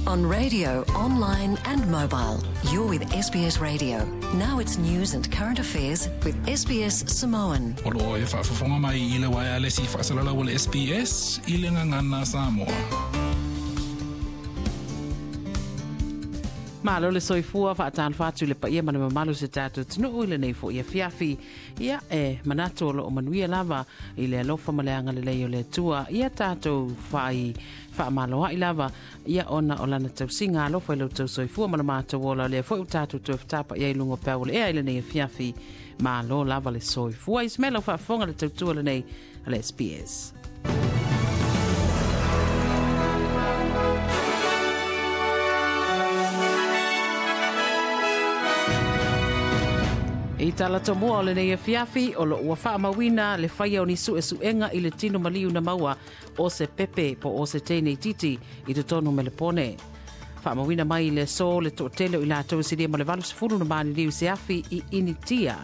On radio, online and mobile, you're with SBS Radio. Now it's news and current affairs with SBS Samoan. O loo e faafofoga mai i le waealesi faasalalau a le SBS i le Gagana Samoa. Malo le soifua faatalofa atu i le paia ma le mamalu o se tatou atunuu i lenei foi afiafi. Ia e manatu o loo manuia lava i le alofa ma le agalelei o le Atua ia tatou fai faamaloai lava ia ona o lana tausiga alofa i lo outou soifua ma le matou ola o lea foi ua tatou toe fetapa'i ai i luga o peau o le ea i lenei afiafi. Malo lava le soifua. Ismail lau faafofoga le tautua lenei a le SBS. I tala tomua o lenei afiafi, o loo ua faamauina le faia o ni suesuega i le tino maliu na maua o se pepe po o se teine itiiti i totonu o Melepone. Faamauina mai i le aso le toatele o i latou e silia ma le 80 na maliliu i se afi i Initia.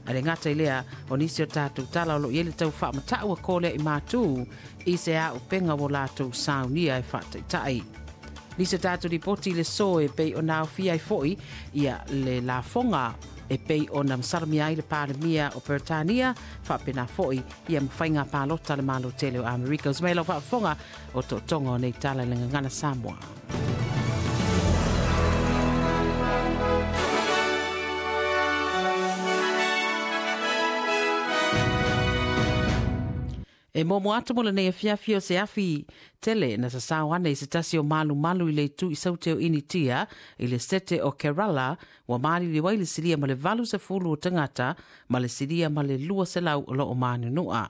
Ae le gata i lea, o nisi o tatou tala o lo o i ai le tau faamatau a Kolea i Matu i se auupega ua latou saunia e faataitai. Nisi o tatou lipoti i le aso e pei ona aofia ai foi ia le lafoga e pei ona masalomia ai le Palemia o Peretania, faapena foi ia ma faiga palota a le Malo tele o Amerika. Uso mai lau faafofoga o tootoga o nei tala i le Gagana Samoa. E muamua atu mo lenei afiafi o se afi tele na sasao ane i se tasi o malumalu i le itu i saute o Initia i le sete o Kerala ua maliliu ai le silia ma le 80 o tagata ma le silia ma le 200 o loo manunua.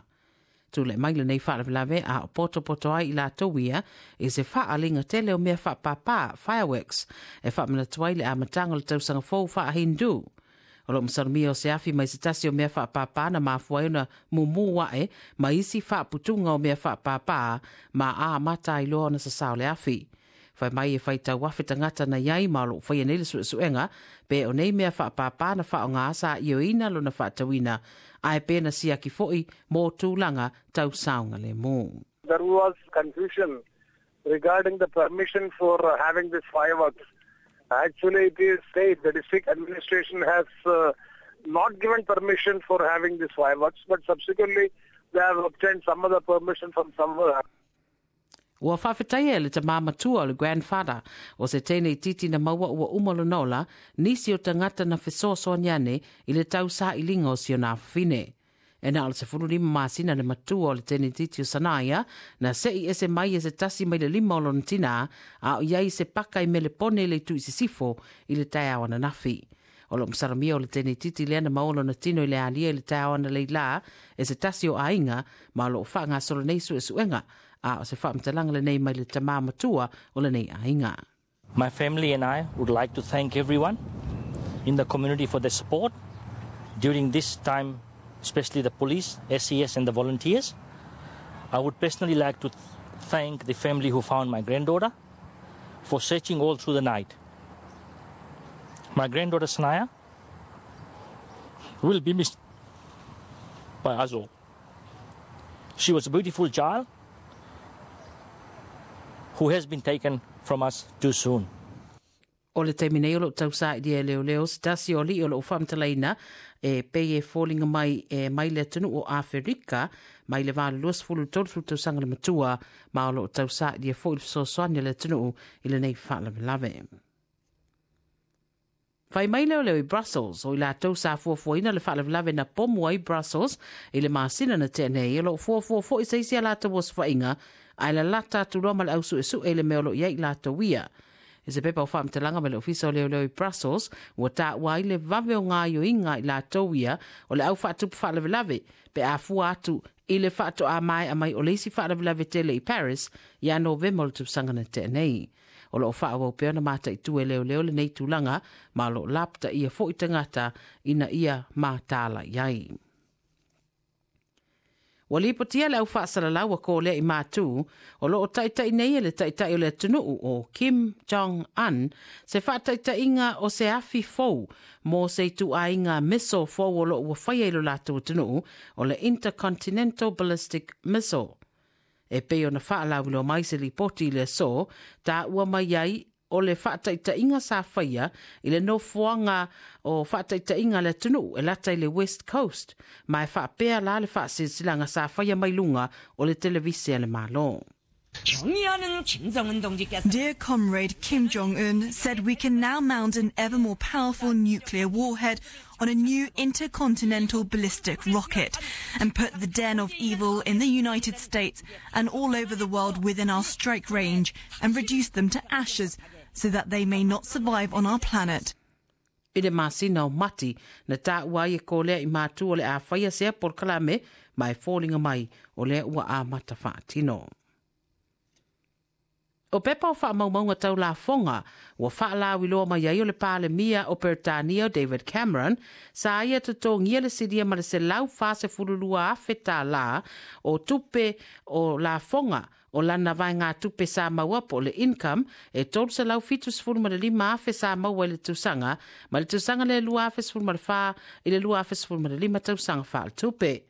Tulai mai lenei faalavelave a o potopoto ai i latou ia i se faaaliga tele o mea faapāpā, fireworks, e faamanatu ai le amataga o le tausaga fou faa-Hindu. O lo o masalomia o se afi mai se tasi o mea faapāpā na mafua ai ona mumu aʻe ma isi faaputuga o mea faapāpā ma a amata ai loa ona sasao le afi. Fai mai e faitau afe tagata na i ai ma o lo o faia nei le suesuega pe o nei mea faapāpā na faaaoga sa ioeina lona faatauina ae pe na siaki foi mo tulaga tau saogalemu. There was confusion regarding the permission for having this fireworks. Actually, it is state, the district administration has not given permission for having these fireworks, but subsequently they have obtained some other permission from somewhere. Ua faafetaia e le tamā matua o le grandfather o se teine itiiti na maua ua uma lona ola nisi o tagata na fesoasoani ane i le tau sailiga o si ona afafine. E na o le 15 masina le matua o le teine itiiti o Sanaia na se'i ese mai e se tasi mai le lima o lona tinā a o i ai se paka i Melepone i le itu i sisifo i le taeao ananafi. O lo o masalomia o le teine itiiti lea na maua lona tino i le alia i le taeao analeila e se tasi o aiga ma o lo o faagasolo nei suesuega a o se faamatalaga lenei mai le tamā matua o lenei aiga. My family and I would like to thank everyone in the community for their support during this time, especially the police, SES and the volunteers. I would personally like to thank the family who found my granddaughter for searching all through the night. My granddaughter Sanaya will be missed by us all. She was a beautiful child who has been taken from us too soon. O le taimi nei o loo tausaili e leoleo se tasi o alii o loo faamatalaina e pei e foliga mai e mai le atunuu o Aferika mai le 20 i le 30 tausaga le matua ma o loo tausaili e foi le fesoasoani a le atunuu i lenei faalavelave. Fai mai leoleo i Brussels o i latou sa fuafuaina le faalavelave na pomu ai Brussels i le masina na tea nei o loo fuafua foi se isi a latou osofaiga ae lalata atu loa ma le au suesue i le mea o loo i ai i latou ia. I se pepa o faamatalaga mai le Ofisa o Leoleo i Brussels, ua taua ai le vave o gaoioiga a i latou ia o le au faatupu faalavelave pe a fua atu i le faatoa maea mai o le isi faalavelave tele i Paris ia Novema o le tausaga na tea nei. O lo o faaauau pea ona mataitu e leoleo lenei tulaga ma o lo o lapataia foi tagata ina ia mataala i ai. Ua lipotia le au faasalalau a Kolea i Matu, o lo o taitai nei e le Taitai o le atunuu o Kim Jong Un se faataitaiga o se afi fou mo se ituaiga missile fou o lo o ua faia i lo latou atunuu, o le Intercontinental Ballistic Missile. E pei ona faalauiloa mai se lipoti i le aso, taua mai ai o le faataitaiga sa faia i le nofoaga o faataitaiga a le atunuu e lata i le West Coast, ma e faapea la le faasilasilaga sa faia mai luga o le televise a le Malo. Dear Comrade Kim Jong-un said we can now mount an ever more powerful nuclear warhead on a new intercontinental ballistic rocket and put the den of evil in the United States and all over the world within our strike range and reduce them to ashes so that they may not survive on our planet. I le masina o Mati, na taua ai e Kolea i Matu o le a faia sea polokalame ma e foliga mai o lea ua amata faatino. O pepa o faamaumauga tau lafoga ua faalauiloa mai ai o le Palemia o Peretania o David Cameron sa ia totogia le silia ma le $142,000 o tupe o lafoga o lana vaegatupe sa maua po o le income e $375,000 sa maua i le tausaga mai le tausaga lea 2014 i le 2015 tausaga faaletupe.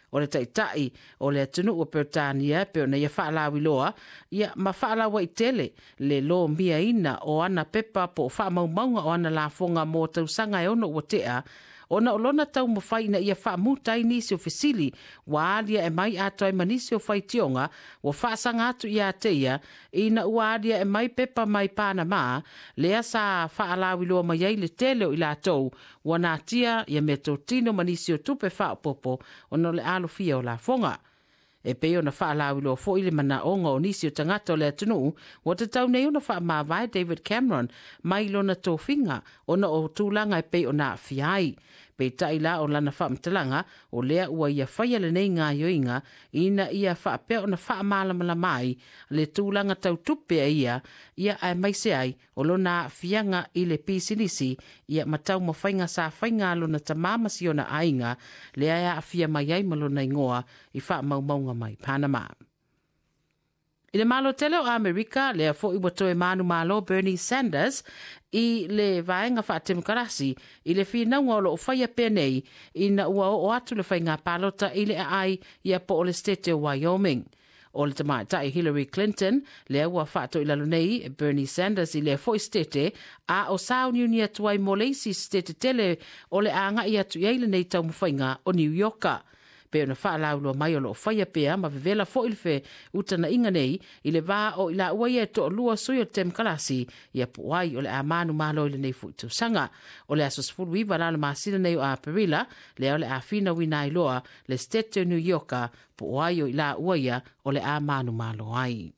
O le taitai o le atunuu o Peretania e pei ona ia faalauiloa ia ma faalauaitele le lomiaina o ana pepa po o faamaumauga o ana lafoga mo tausaga e 6 ua tea, ona o lona taumafai ina ia faamuta ai nisi o fesili ua aliae mai atoa ai ma nisi o faitioga ua faasaga atu ia te ia ina ua aliae mai pepa mai Panama lea sa faalauiloa mai ai le tele o i latou ua natia ia meatotino ma nisi o tupe faaopoopo ona o le alofia o lafoga. E pei ona faalauiloa foi le manaoga o nisi o tagata o le atunuu ua tatau nei ona faamavae David Cameron mai lona tofiga ona o tulaga e pei ona aafia ai. Peitai la o lana faamatalaga o lea ua ia faia lenei gaoioiga ina ia faapea ona faamalamalama ai le tulaga tau tupe a ia, ia aemaise ai o lona aafiaga i le pisinisi ia ma taumafaiga sa faiga a lona tamā ma si ona aiga lea e aafia mai ai ma lona igoa i faamaumauga mai Panama. I le Malo tele o Amerika, lea foi ua toe manumalo Bernie Sanders i le vaega faatemokarasi i le finauga o lo o faia pea nei ina ua oo atu le faiga palota i le aai ia po o le state o Wyoming. O le tamaitai Hillary Clinton, lea ua faatoilalo nei Bernie Sanders i lea foi state, a o sauniuni atu ai mo le isi state tele o le a agai atu i ai lenei taumafaiga o New Yorka. Pei ona faalauiloa mai o lo o faia pea ma vevela foi le feutagaiga nei i le va o i laua ia e toalua sui o le Temokarasi ia po o ai o le a manumalo i lenei foi tausaga. O le aso 19 la o le masina nei o Aperila, lea o le a finauina ai loa le State o New Yorka po o ai o i laua ia o le a manumalo ai.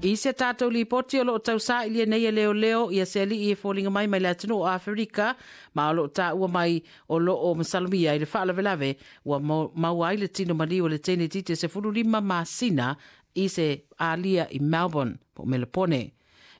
I se tatou lipoti o lo o tausailia nei e leoleo ia se alii e foliga mai mai le atunuu o Aferika ma o lo o taua mai o lo o masalomia i le faalavelave ua maua ai le tino maliu o le teine itiiti e 15 masina i se alia i Melbourne po o Melopone.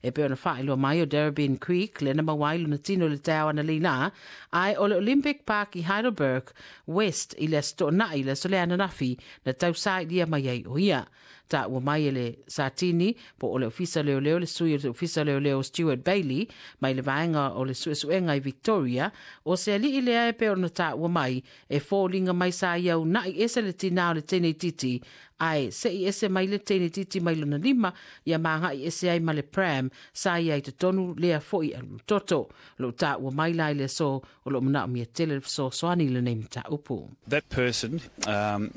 E pei ona faailoa mai o Darebin Creek lea na maua ai lona tino i le taeao analeila, ae o le Olympic Park i Heidelberg West i le Aso Toonai i le aso lea ananafi na tausailia mai ai o ia. Taua mai e le Satini po o le Ofisa Leoleo le sui o le Ofisa Leoleo Stuart Bailey mai le vaega o le suesuega i Victoria, o se alii lea e pei ona taua mai e foliga mai sa ia una'i ese le tinā o le teine itiiti ae se'i ese mai le teine itiiti mai lona lima ia ma aga'i ese ai ma le pram sa ia i totonu lea fo'i alualutoto. O lo'o taua mai la i le aso o lo'o manaomia tele le fesoasoani i lenei mataupu. That person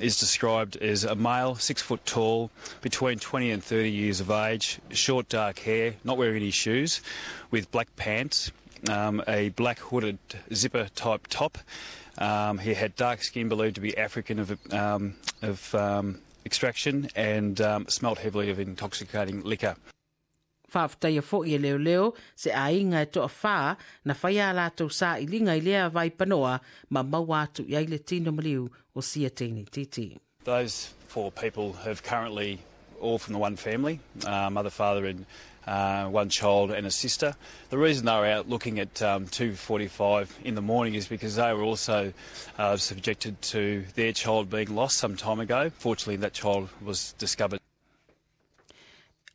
is described as a male, 6 foot tall, between 20 and 30 years of age, short dark hair, not wearing any shoes, with black pants, a black hooded zipper type top. He had dark skin, believed to be African of extraction, and smelt heavily of intoxicating liquor. Faafetaia foi e leoleo se aiga e toafā na faia a latou sailiga i lea vaipanoa ma maua atu i ai le tino maliu o sia teine itiiti. Those four people have currently all from the one family, mother, father and one child and a sister. The reason they were out looking at 2:45 in the morning is because they were also subjected to their child being lost some time ago. Fortunately, that child was discovered.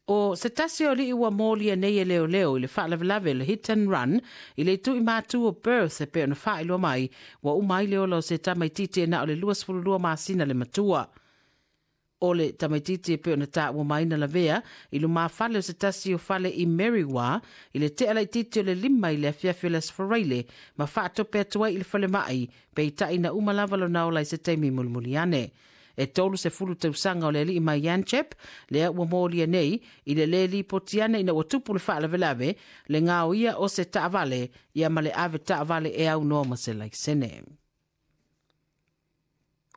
O se tasi o alii ua molia nei e leoleo i le faalavelave le hit and run i le itu i matu o Perth e pei ona faailoa mai, ua uma ai le ola o se tamaititi e na o le 22 masina le matua. O le tamaititi e pei ona taua mai na lavea i lumafale o se tasi o fale i Merriwa i le tea laititi o le 5 i le afiafi o le Aso Faraile ma faatope atu ai i le falemai, peitai na uma lava lona ola i se taimi mulimuli ane. E 30 tausaga o le alii mai Yanchep, lea ua molia nei i le lē lipoti ane ina ua tupu le faalavelave le gaoia o se taavale ia ma le ave taavale e aunoa ma se laisene.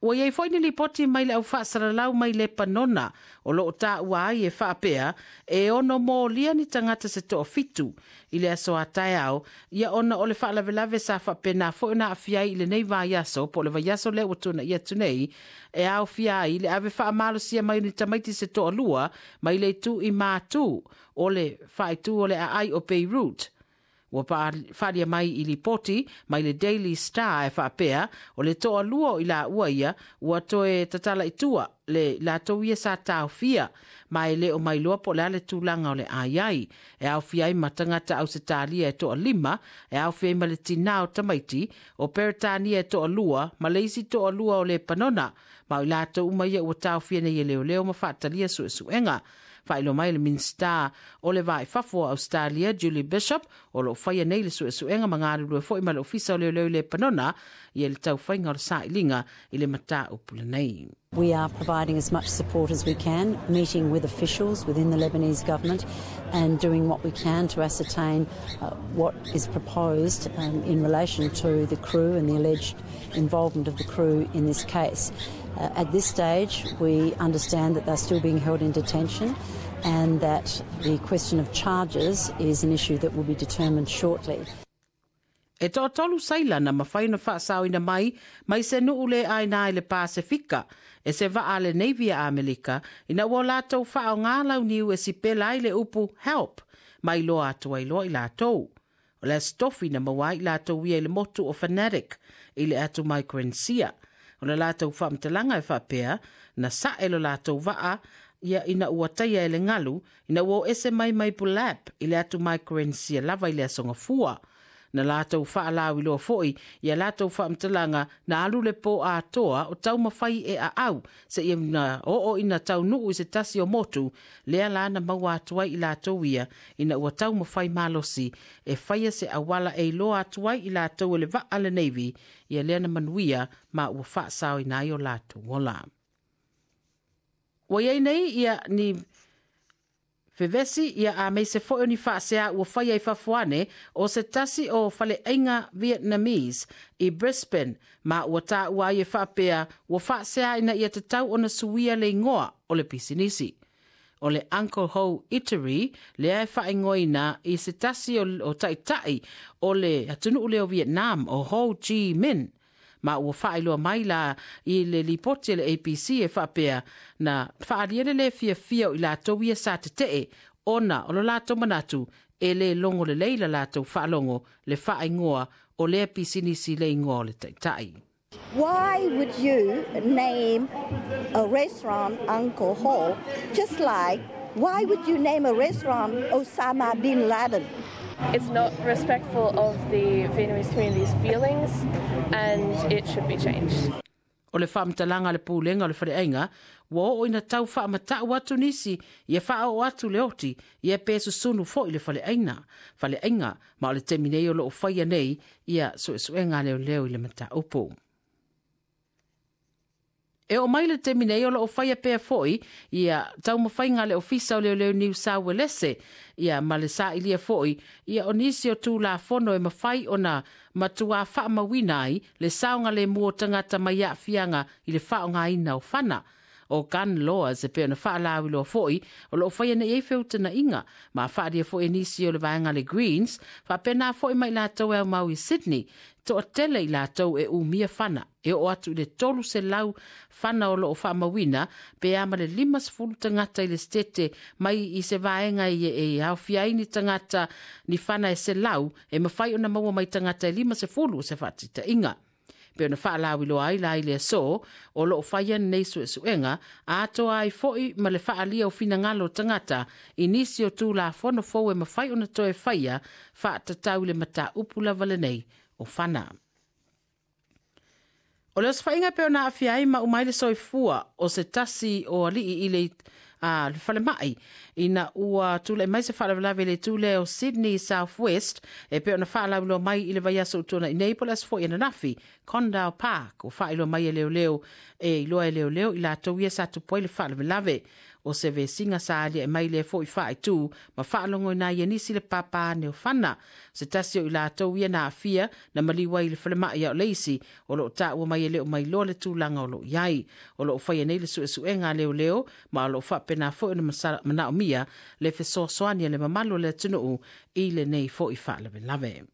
Ua iai foi ni lipoti mai le au faasalalau mai Lepanona o loo taua ai e faapea e ono molia ni tagata se 7 i le aso a taeao ia ona o le faalavelave sa faapena foi ona aafia ai i lenei vaiaso po o le vaiaso lea ua tuanaia atu nei e aofia ai le ave faamalosia mai o ni tamaiti se 2 mai le itu i matu o le faaitu o le aai o Beirut. Ua faalia mai i lipoti mai le Daily Star e faapea o le 2 o i laua ia ua toe tatala i tua le latou ia sa taofia ma e le o mailoa po o le a le tulaga o le ai ai. E aofia ai ma tagata Ausetalia e 5, e aofia ai ma le tinā o tamaiti, o Peretania e 2, ma le isi 2 o Lepanona, ma o i latou uma ia ua taofia nei e leoleo ma faatalia suesuega. Faailoa mai le Minisita o le Vai Fafo o Australia, Julie Bishop, o loo faia nei le suesuega ma galulue foi ma le Ofisa o Leoleo i Lepanona ia le taufaiga o le sailiga i le mataupu lenei. We are providing as much support as we can, meeting with officials within the Lebanese government and doing what we can to ascertain what is proposed in relation to the crew and the alleged involvement of the crew in this case. At this stage, we understand that they're still being held in detention and that the question of charges is an issue that will be determined shortly. E 3 saila na mawhai na whaasau ina mai, mai se nuu le aina i le Pasifika, e se waa le Navy a Amerika, ina ua lātou whao ngā lau niu e si pela i le upu help, mai loa atu ai loa i lātou. O le stofi na maua i lātou ia i le motu o Fanatic, i le atu Micronesia. O le lātou whaamtalanga e whaapea, na sae lo lātou waa, ia ina ua taia e le ngalu, ina ua o ese mai mai pulap i le atu Micronesia lava i le asonga fua. Na lātou whaalau i loa foi, ia lātou whaamtalanga na alu le pō atoa o tau mawhai e a au, se ia na oo ina tau nuu i se tasi o motu, lea la na maua atu ai i lātou ia, ina ua tau mawhai malosi, e whaia se awala e iloa atu ai i lātou e le waa le Navy, ia lea na manuia ma ua whaasao i nai o lātou ola. Ua iai nei ia ni fevesi ia a mei se foi o ni whaasea ua whaia i fafuane o se tasi o faleaiga Vietnamese i Brisbane ma ua tāua ai e whaapea ua whaasea ina ia tatau ona suia le ingoa o le pisinisi. O le Uncle Ho Eatery lea e whaingoina i se tasi o taitai o le atunuu leo Vietnam o Ho Chi Minh. Ma ua whaailoa mai la i le lipoti le APC e whaapea na whaaliele le fia fia o i lātou ia sa te tee ona o lo lātou manatu e le longo le leila lātou whaalongo le whaingoa o lea pisinisi le ingoa o le taitai. Why would you name a restaurant Uncle Ho? Just like, why would you name a restaurant Osama bin Laden? It's not respectful of the Vietnamese community's feelings and it should be changed. O le whaamtalanga le pūlenga o le whareaiga, ua oo ina tau whaamatau atu nisi, ia whaao atu le oti, ia pe susunu foi le whareaiga. Whareaiga, ma o le temi nei o loo whaia nei, ia suesuenga leo leo i le mataupu. E o mai le temi nei o loo whaia pea foi, ia taumawhainga le ofisa o leo leo New South Wales, ia ma le sa ilia foi, ia o nisi o tū la fono e mawhai ona matua whaamawina ai le saonga le mua tangata mai aafianga i le whaonga ina o whana. O gun laws e pe ona whaalawi loa foi, o loo whaia nei e feutana inga, ma whaaria foi e nisi o le vaenga le Greens, whaapena foi mai lātou e au mau i Sydney, toa tele i lātou e umia whana, e o atu i le 300 whana o loo whaamawina, pe ama le 50 tangata i le stete mai i se vaenga i e haofia ai ni tangata ni whana e se lau, e mawhai ona maua mai tangata e 50 o se whaatita inga. Pei ona faalauiloa ai la i le aso, o loo faia lenei suesuega, atoa ai foi ma le faaalia o finagalo o tagata i nisi o Tulafono fou e mafai ona toe faia faatatau i le mataupu lava lenei o fana. O le osofaiga e pei ona aafia ai ma uma ai le soifua o se tasi o alii i le a le falemai ina ua tulai mai se faalavelave i le itu lea o Sydney South West e pei ona faalauiloa mai i le vaiaso ua tuanai nei po o le aso foi ananafi Condell Park ua faailoa mai e leoleo e iloa e leoleo i latou ia sa tupu ai le faalavelave. O se vesiga sa aliae mai lea foi faaitu ma faalogoina ai e nisi le pāpā ane o fana. O se tasi o i latou ia na aafia na maliu ai i le falemai a o le isi o lo o taua mai e le o mailoa le tulaga o lo o i ai. O lo o faia nei le suesuega a leoleo ma o lo o faapena foi ona manaomia le fesoasoani a le mamalu o le atunuu i lenei foi faalavelave.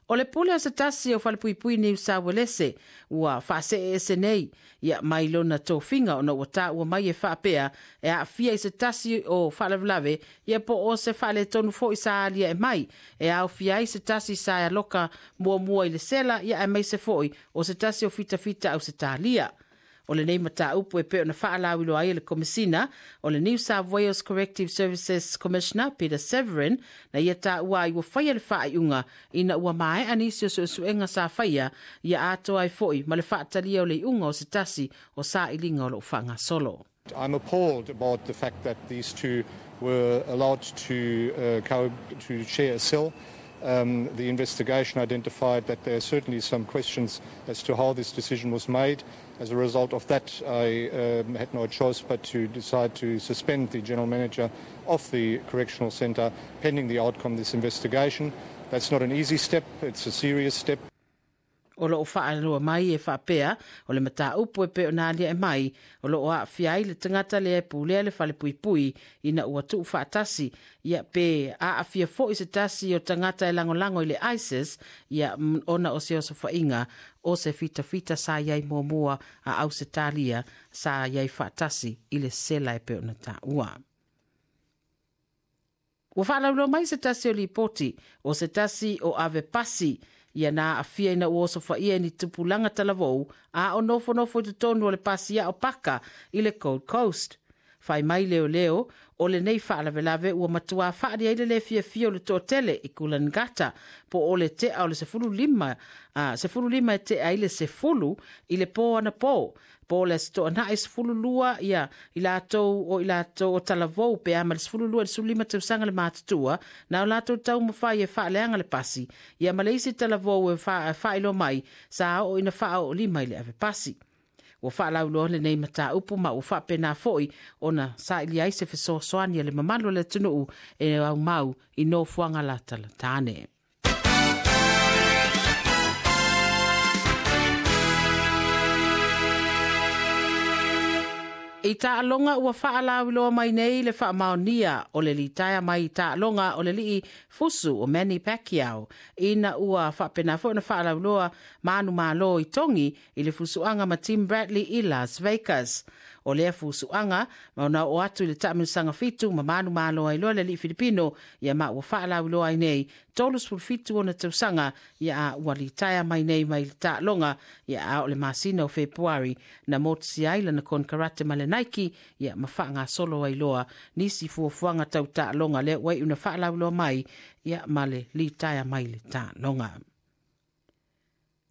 O le pule o se tasi o falepuipui Niu Sauelese ua faaseeese nei ia mai lona tofiga ona ua taua mai e faapea e aafia i se tasi o faalavelave ia po o se faaletonu foi sa aliae mai e aofia ai se tasi sa e aloka muamua i le sela ia aemaise foi o se tasi o fitafita Ausetalia. O lenei mataupu e pei ona faalauiloa ai e le Komesina o le New South Wales Corrective Services Commissioner Peter Severin na ia taua ai ua faia le faaiuga ina ua maea nisi o suesuega sa faia ia atoa ai foi ma le faatalia o le iuga o se tasi o sailiga o lo o faagasolo. I'm appalled about the fact that these two were allowed to, uh, to share a cell. Um, the investigation identified that there are certainly some questions as to how this decision was made. As a result of that, I um, had no choice but to decide to suspend the general manager of the correctional centre pending the outcome of this investigation. That's not an easy step, it's a serious step. O lo o faailoa mai e faapea, o le mataupu e pei ona aliae mai, o lo o aafia ai le tagata lea e pulea le falepuipui ina ua tuufaatasi, ia pe aafia foi se tasi o tagata e lagolago i le ISIS, ia ona o se osofaiga o se fitafita sa i ai muamua a Ausetalia sa i ai faatasi i le sela e pei ona taua. Ua faalauiloa mai se tasi o lipoti o se tasi o ave pasi ia na aafia ina ua osofaia e ni tupulaga talavou a o nofonofo i totonu o le pasi ao paka i le Gold Coast. Fai mai leoleo, o lenei faalavelave ua matuā faali ai le lē fiafia o le toatele i Coolangatta po o le tea o le 15, 15 e tea ai le 10 i le pō anapō, po o le Aso Toonai 12 ia i latou o i latou o talavou pe a ma le 12 i le 15 tausaga le matutua, na o latou taumafai e faaleaga le pasi, ia ma le isi talavou e faailoa mai sa oo ina faaoolima i le ave pasi. Ua faalauiloa lenei mataupu ma ua faapena foi ona sailia ai se fesoasoani a le mamalu o le atunuu e aumau i nofoaga latalatane. I taaloga ua faalauiloa mai nei le faamaonia o le litaea mai i taaloga o le lii fusu o Manny Pacquiao ina ua faapena foi ona faalauiloa manumalo i Togi i le fusuaga ma Tim Bradley i Las Vegas. O lea fusuaga ma ona oo atu i le taamilosaga fitu ma manumalo ai loa le alii Filipino ia ma ua faalauiloa ai nei 37 ona tausaga ia a ua litaea mai nei mai le taaloga ia a o le masina o Fepuari na motusia ai lana konekarate ma le Nike ia ma faagasolo ai loa nisi fuafuaga tau taaloga lea ua iu na faalauiloa mai ia ma le litaea mai le taaloga.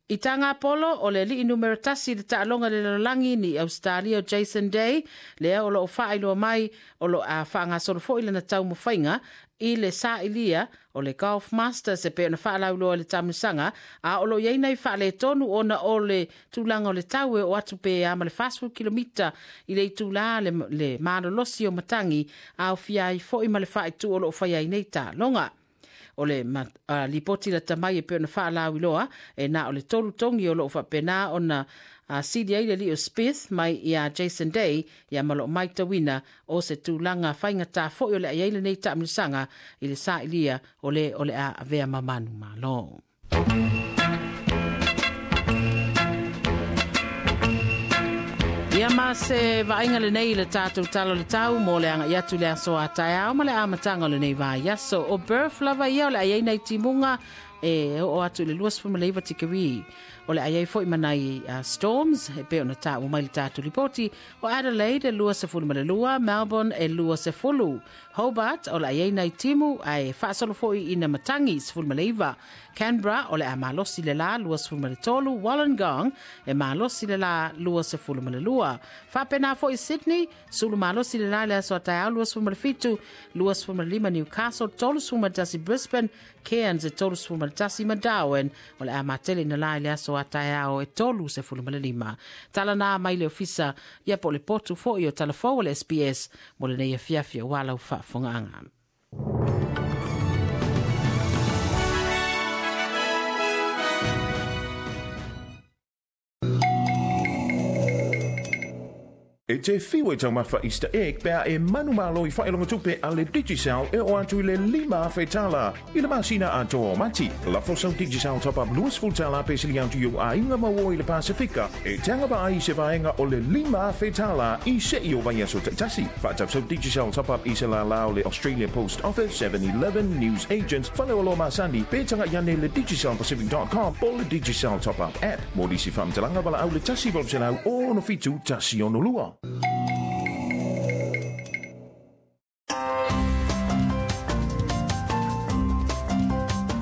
I Tagapolo, o le alii numera tasi i le taaloga i le lalolagi ni Ausetalia o Jason Day, lea o lo o faailoa mai o lo a faagasolo foi lana taumafaiga i le sailia o le Golf Masters e pei ona faalauiloa i le taamilosaga, a o lo o i ai nai faaletonu ona o le tulaga o le tau e oo atu pe a ma le 40 kilomita i le itulā le, le malolosi o matagi, aofia ai foi ma le faaitu o lo o faia ai nei taaloga. O le lipoti lata mai e pei ona faalauiloa, e na o le tolu togi o lo o faapena ona sili ai le alii o Spieth mai iā Jason Day, ia ma lo o maitauina o se tulaga faigata foi o le a i ai lenei taamilosaga i le sailia o le o le a avea ma manumalo. Ia ma se vaaiga lenei i le tatou tala o le tau mo le agai atu i le aso a taeao ma le amataga o lenei vaiaso. O Perth lava ia o le a i ai nai timuga E oo atu i le 29 tikeri. O le a iai fo'i ma nai storms e pei ona taua mai le tatou lipoti. O Adelaide e 22, Melbourne e 20, Hobart o le a iai nai timu ae faasolo fo'i ina matagi 19, Canberra o le a malosi le la 23, Wollongong e malosi le la 22. Faapena fo'i Sydney, sulu malosi le la i le aso a taeao 27, 25 Newcastle, 31 Brisbane, Cairns e 31 ma Darwin o le a matele ina la i le aso a taeao e 35. Tala na mai le ofisa ia po o le potu fo'i o talafou o le SBS mo lenei afiafi auā lau faafofogaaga. E te fiu e taumafa Easter egg pe a e manumalo i faailoga-tupe a le Digicel e oo atu i le $5,000 i le masina atoa o Mati. Lafo sau Digicel top-up $20 pe sili atu i ou aiga ma uo i le Pasefika e te agavaa ai i se vaega o le $5,000 i se'i o vaiaso taitasi. Faatau sau Digicel top-up i se lālā o le Australia Post Office, 7-Eleven, News Agents, faleoloa masani, pe taga'i ane i le digicel-pacific.com po o le Digicel Top-Up app. Mo nisi faamatalaga valaau le 1800 67 162.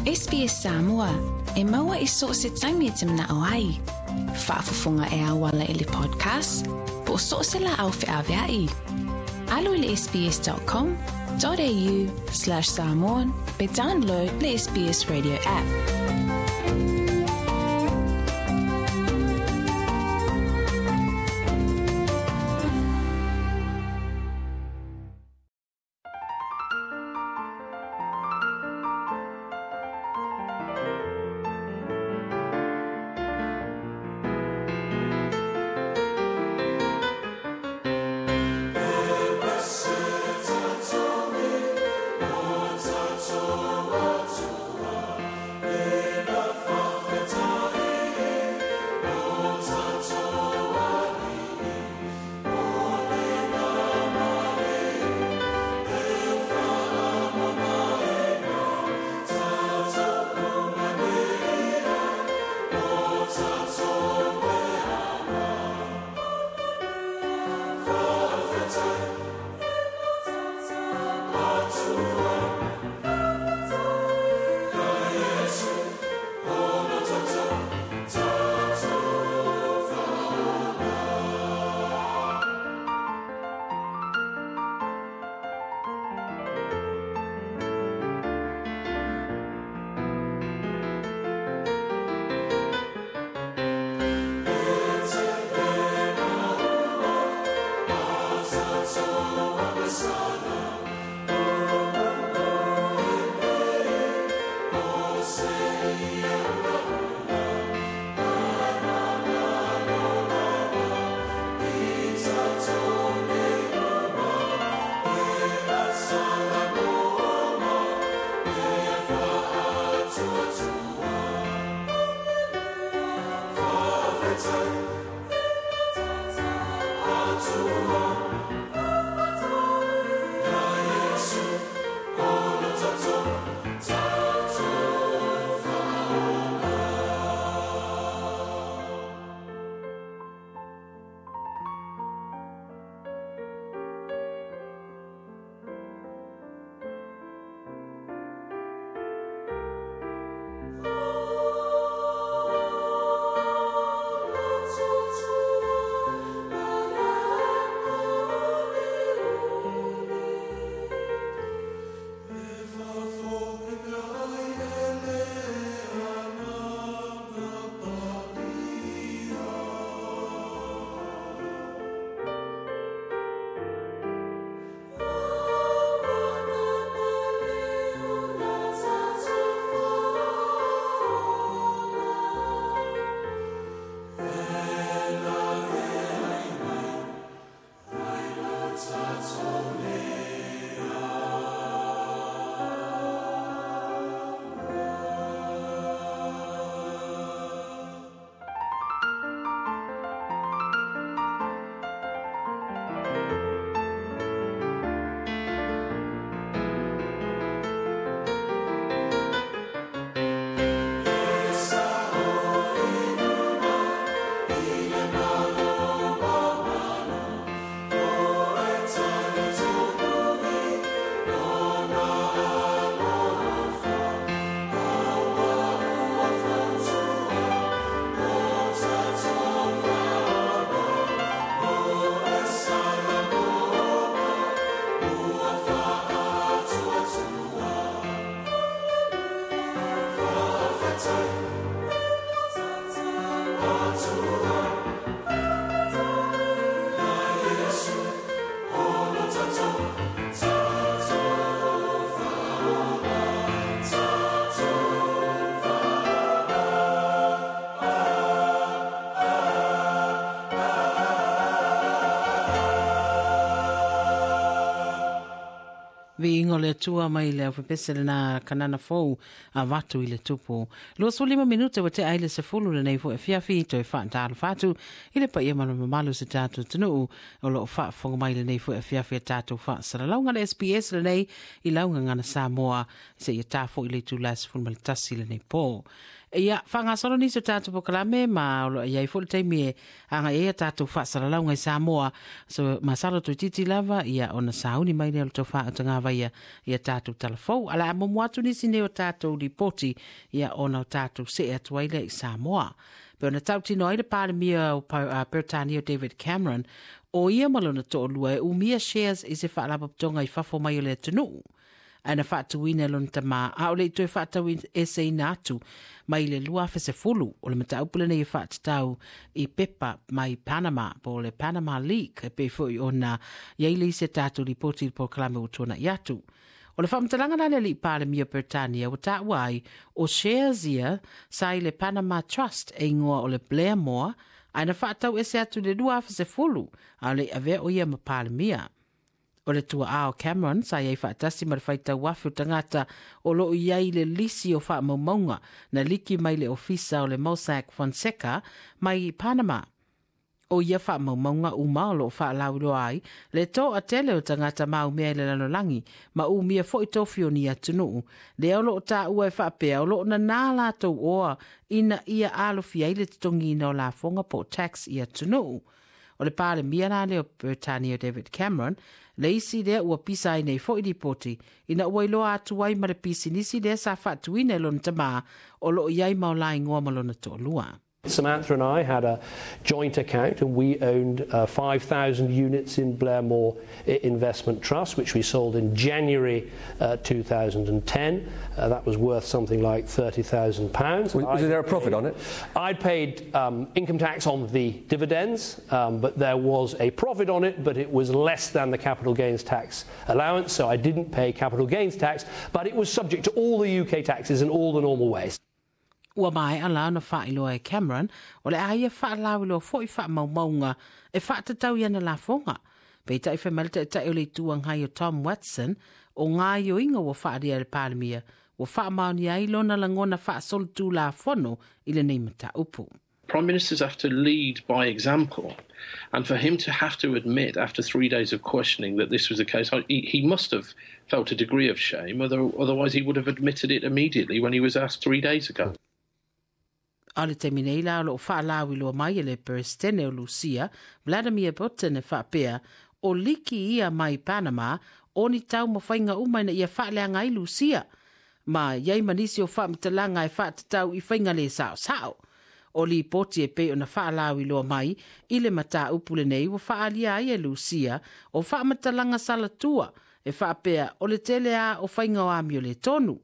SBS Samoa, e maua i so o se taimi e te manao ai. Faafofoga e auala i le podcast, po o so o se laau feaveai. Alu i le sbs.com.au/samoan pe download le SBS Radio app. Viiga o le Atua mai le aufepese lena Kanana Fou avatu i le Tupu. 25 minute ua tea ai le 10 lenei foi afiafi toe faatalofa atu i le paia ma le mamalu o se tatou atunuu o lo o faafofoga mai lenei foi afiafi a tatou faasalalauga le SBS lenei i lau gagana Samoa seia ta foi le itula 11 lenei po. Ia, faagasolo nisi o tatou polokalame ma o lo o i ai foi le taimi e agai ai a tatou faasalalauga i Samoa. So, masalo toeitiiti lava, ia, ona sauni mai lea o le tou faautagavaia i a tatou tala fou. Ae o le a muamua atu nisi nei o tatou lipoti, ia, ona o tatou see atu ai lea i Samoa. Pei ona tautino ai le Palemia o Peretania o David Cameron, o ia ma lona toalua e umia shares i se faalapotopotoga i fafo mai o le atunuu. Ae na faatuina e lona tamā, a o le i toe faataueseina atu mai le 2010. O le mataupu lenei e faatatau i pepa mai Panama, po o le Panama Leak, e pei foi ona i ai le isi a tatou lipoti i le polokalame ua tuanai atu. O le faamatalaga la a le Alii Palemia o Peretania ua taua ai, o shares ia sa i le Panama Trust e igoa o le Blairmore, ae na faatauese atu i le 2010, a o le i avea o ia ma Palemia. O le tuaa o Cameron sa i ai faatasi ma le faitau afe o tagata o lo o i ai i le lisi o faamaumauga na liki mai le ofisa o le Mossack Fonseca mai Panama. O ia faamaumauga uma o lo o faalauiloa ai le toatele o tagata maumea i le lalolagi ma umia foi tofi o ni atunuu lea o lo o taua e faapea o lo o nanā latou oa ina ia alofia ai le totogiina o lafoga po o tax i atunuu. O le Palemia la lea o Peretania David Cameron, le isi lea ua pisa ai nei foi lipoti, ina ua iloa atu ai ma le pisinisi lea sa faatuina e lona tamā o lo o i ai ma o la igoa ma lona toalua. Samantha and I had a joint account and we owned 5,000 units in Blairmore Investment Trust, which we sold in January 2010. That was worth something like £30,000. Was there a profit on it? I'd paid income tax on the dividends, but there was a profit on it, but it was less than the capital gains tax allowance, so I didn't pay capital gains tax, but it was subject to all the UK taxes in all the normal ways. Ua maea la ona faailoa e Cameron o le a ia faalauiloa foi faamaumauga e faatatau i ana lafoga. Peitai fai mai le Taitai o le Itu Agai o Tom Watson, o gaoioiga ua faaalia e le Palemia ua faamaonia ai lona lagona faasolitulafono i lenei mataupu. Prime Ministers have to lead by example. And for him to have to admit after 3 days of questioning that this was the case, he must have felt a degree of shame, otherwise he would have admitted it immediately when he was asked 3 days ago. A o le taimi nei la o lo o faalauiloa mai e le Peresetene o Lusia, Vladimir Putin e faapea, o liki ia mai Panama o ni taumafaiga uma ina ia faaleaga ai Lusia. Ma i ai ma nisi o faamatalaga e faatatau i faiga le saosao. O lipoti e pei ona faalauiloa mai i le mataupu lenei ua faaalia ai e Lusia o faamatalaga salatua e faapea o le tele a o faiga o amio le tonu.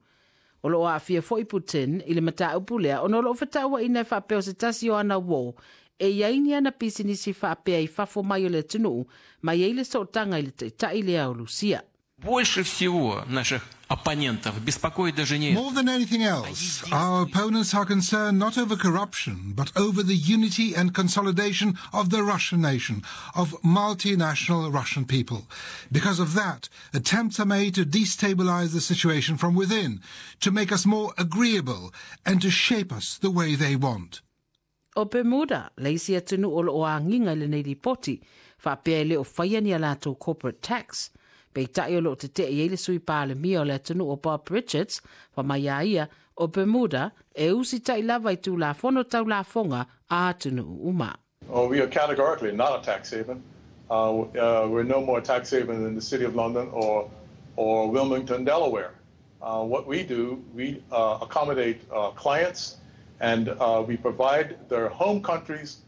O lo o aafia foi Putin i le mataupu lea ona o lo o fetauaina e faapea o se tasi o ana uō e i ai ni ana pisinisi faapea i fafo mai o le atunuu ma i ai le sootaga i le taitai lea o Lusia. Больше всего наших оппонентов беспокоит даже не More than anything else, our opponents are concerned not over corruption, but over the unity and consolidation of the Russian nation, of multinational Russian people. Because of that, attempts are made to destabilize the situation from within, to make us more agreeable, and to shape us the way they want. O Bermuda, le isi atunuu o lo o agiga i lenei lipoti, faapea e le o faia ni a latou corporate tax. Peitai o lo o tetee i ai le Sui Palemia o le atunuu o Bob Richards, fa mai a ia, o Bermuda e usitai lava i Tulafono tau lafoga a atunuu uma. Oh, we are categorically not a tax haven. We're no more a tax haven than the City of London or Wilmington, Delaware. What we do, we accommodate clients and we provide their home countries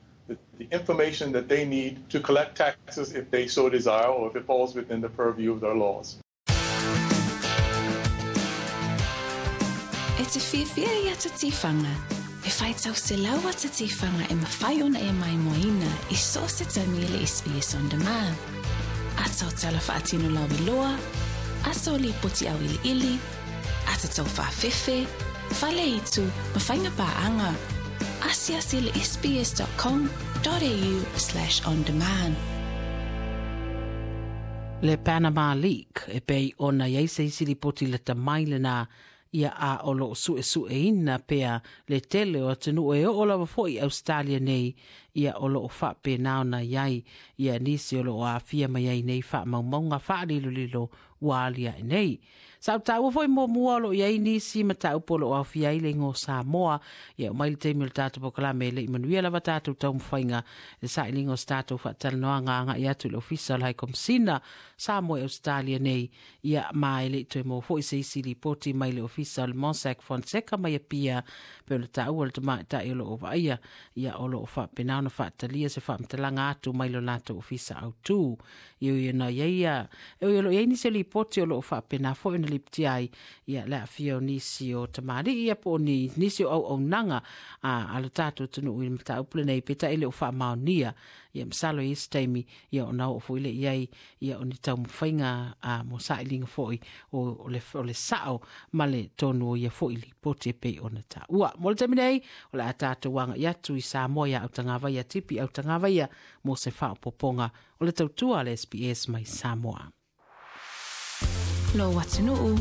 the information that they need to collect taxes if they so desire or if it falls within the purview of their laws. E te fiafia i ata tiwhanga, e whai tau selau ata tiwhanga e mawhai ona e maimoaina i so se taimi i le SBS On Demand. Ata o tala whaatino lau iloa, ata o lipoti au iliili, ata tau whaafefe, fale itu, ma whainga pāanga. Asiasi le sbs.com.au/ondemand. Le Panama Leak e pei ona i ai se isi lipoti lata mai lena ia a o loo suesueina pea le tele o atunuu e oo lava foi i Ausetalia nei ia o loo faapena ona i ai ia nisi o loo aafia mai ai nei faamaumauga faalilolilo ua aliae nei. Sa ou taua foi muamua o lo o i ai nisi mataupu o lo o aofia ai le igoa o Samoa. Ia oo mai le taimi o le tatou polokalame e le i manuia lava tatou taumafaiga i le sailiga o se tatou faatalanoaga agai atu i le Ofisa o le High Komisina Samoa i Ausetalia nei. Ia ma e le i toe maua foi se isi lipoti mai le Ofisa o le Mossack Fonseca mai Apia pei ona taua le tamaitai o lo o vaaia ia o lo o faapena ona faatalia se faamatalaga atu mai lo latou ofisa autu. E ui ona i ai ia, e ui o lo o i ai nisi o lipoti o lo o faapena foi ona lipotia ai ia le aafia o nisi o tamalii ia po o ni nisi o auaunaga a, a lo tatou atunuu i le mataupu lenei, peitai e le o faamaonia. Ia masalo i isi taimi ia ona oo foi lea i ai ia o ni taumafaiga a, mo sailiga foi o, o, le, o le sao ma le tonu o ia foi lipoti e pei ona taua. Mo le taimi nei, o le a tatou agai atu i Samoa ia Autagavaia Tipi Autagavaia mo se faaopoopoga o le tautua a le SBS mai Samoa. Lou atunuu,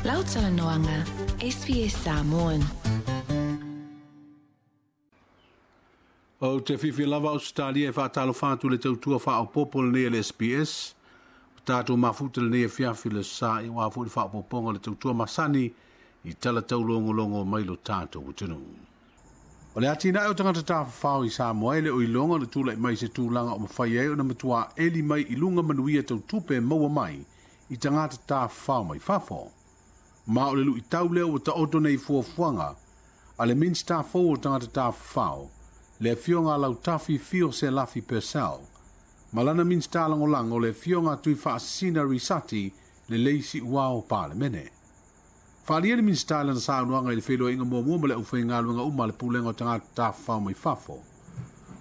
lau talanoaga, SBS Samoan. Ou te fiafia lava Ausetalia e faatalofa atu i le tautua faaopoopo lenei a le SBS. Ua tatou mafuta lenei afiafi le sa i aua foi le faaopoopoga o le tautua masani i tala taulogologo mai lo tatou atunuu. O le atinae o tagata tafafao i Samoa e le o iloga le tulai mai se tulaga o mafai ai ona matua eli mai i luga manuia tau tupe maua mai i tagata tafafao mai fafo. Ma o le luitau lea ua taoto nei fuafuaga a le Minisita fou o Tagata Tafafao, le Afioga a Lautafi Fio Selafi Purcell, ma lana Minisita Lagolago, le Afioga a Tuifaasisina Risati Lelei Siuao Palemene. Faaalia le Minisita i lana saunoaga i le feiloaiga muamua ma le aufaigaluega uma a le Pulega o Tagata Tafafao mai Fafo.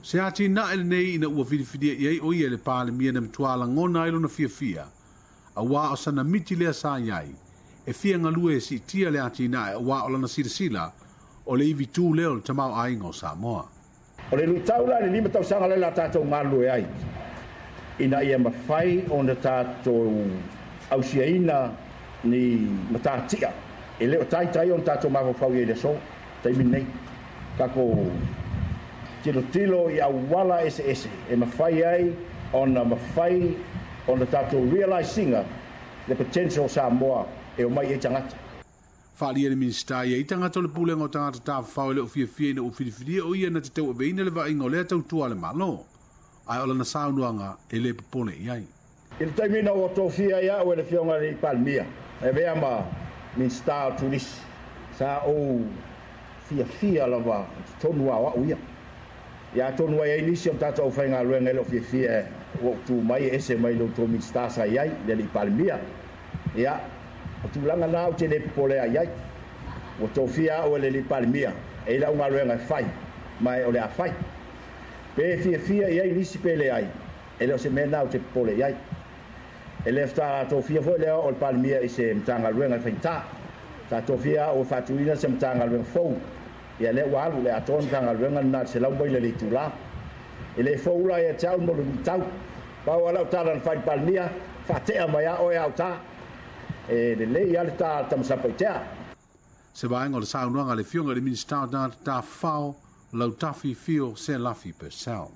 Se atinae lenei ina ua filifilia i ai o ia e le Palemia na matua lagona ai lona fiafia, auā o sana miti lea sa i ai, e fia galue e siitia le atinae auā o lana silasila o le ivi tū lea o le tamaoaiga o Samoa. O le luitau la i le 5 tausaga lea la tatou galulue ai ina ia mafai ona tatou ausiaina ni matatia e le o taitai ona tatou mafaufau i ai i le aso, taimi lenei. Tatou tilotilo i auala eseese e mafai ai ona mafai ona tatou realise ina le potential o Samoa e omai ai tagata. Faaalia le Minisita ia i tagata o le Pulega o Tagata Tafafao e le o fiafia ina ua filifilia o ia na te tauaveina le vaaiga o lea tautua a le Malo, ae o lana saunoaga e le popole i ai. I le taimi ina ua tofia ai au e le Afioga i le Palemia e avea ma Minisita o Turisi, sa ou fiafia lava i totonu lava o au ia. Ia atonu ai ai nisi o tatou aufaigaluega e le o fiafia ua ou tu mai e ese mai lo outou Minisita sa i ai, le alii Palemia. Ia, o tulaga na ou te le popole ai ai. Ua tofia au e le alii Palemia e i lau galuega e fai, ma e o le a fai. Pe fiafia i ai nisi pe leai, e le o se mea na ou te popole i ai. E le tofia foi lea o le Palemia i se Matagaluega e faigata. Sa tofia au e faatuina se Matagaluega fou. Ia lea ua alu le atoa le Matagaluega lena i le 100 maila i le itula. E le fou la ia te au mo le luitau. Pau lava lau tala na fai i le Palemia, faatea mai lava oe au ta. E lelei lava le ta a le tama Satupaitea. Se vaega o le saunoaga a le Afioga i le Minisita o Tagata Tafafao, Lautafi Fio Selafi Purcell.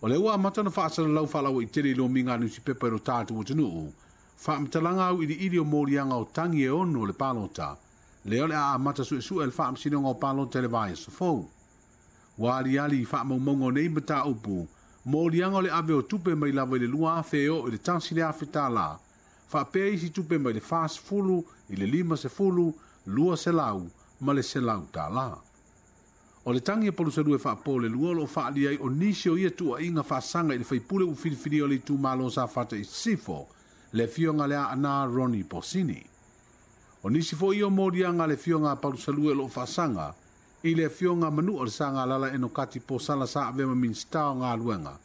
O lea ua amata ona faasalalau faalauaitele i lomiga a nusipepa i lo tatou atunuu, faamatalaga auiliili o moliaga o tagi e ono o le palota, lea o le a amata suesue e le Faamasinoga o Palota i le vaiaso fou. Ua aliali i faamaumauga o nei mataupu, moliaga o le ave o tupe mai lava i le 2,000 e oo i le $1,000, faapea isi tupe mai le 40 i le 50, 200 ma le $100. O le tagi a Palusalua e faapo le lua o lo o faaalia ai o nisi o ia tuuaiga faasaga i le faipule ua filifilia o le itumalo o Safata i Sisifo, le afioga lea Ana Ronnie Bosini. O nisi foi ia o moliaga a le afioga a Palusalua o lo o faasaga i le afioga a Manua o le Sagalala Enokati Posala sa avea ma Minisita o Galuega,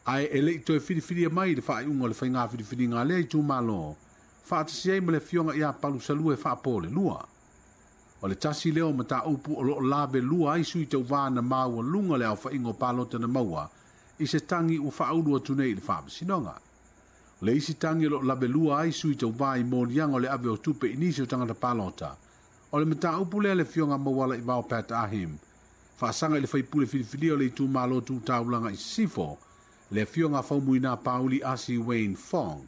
ae e le i toe filifilia mai i le faaiuga o le faiga filifiliga a lea itumalo, faatasi ai ma le afioga ia Palusalua e faapo le lua. O le tasi lea o mataupu o lo o lave lua ai sui tauva na maua luga le aofaiga o palota na maua i se tagi ua faaulu atu nei i le faamasinoga. O le isi tagi o loo lavelua ai sui tauvā i moliaga o le ave o tupe i nisi o tagata palota. O le mataupu lea le Afioga Maualaivao Pat Ahim, faasaga i le faipule filifilia o le itumālō tu taulaga i Sisifo, le Afioga Faumuina Pauli Asi Wayne Fong,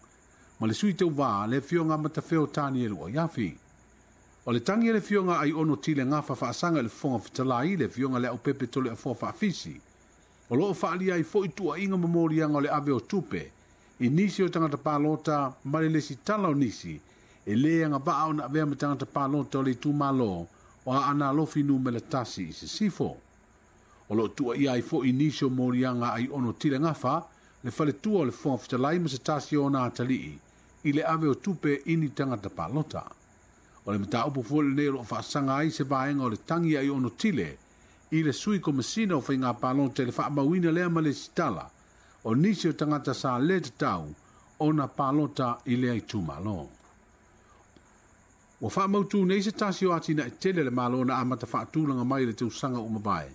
ma le sui tauvā le Afioga Matafeo Tanielu Aiafi. O le tagi a le Afioga Aiono Tile Gafa faasaga i le Fofoga Fetalai, le Afioga Leaupepe Toleafoa Faafisi, o loo faalia ai fo'i tuua'iga ma moliaga o le ave o tupe i nisi o tagata palota ma le lesitala o nisi e lē agavaa ona avea ma tagata palota o le itumālō o Aana Alofi numera 1 i Sisifo. O loo tuuaia ai fo'i nisi o moliaga Aiono Tile Gafa, le faletua o le Fofoga Fetalai ma se tasi o ona atalii i le ave o tupe i ni tagata palota. O le mataupu foi lenei o loo faasaga ai se vaega o le tagi Aiono Tile i le sui komasina o faigā palota i le faamauina lea ma lesitala o nisi o tagata sa lē tatau ona palota i lea itumālō. Ua faamautū nei se tasi o atinae tele a le Mālō na amata faatulaga mai i le tausaga ua mavae.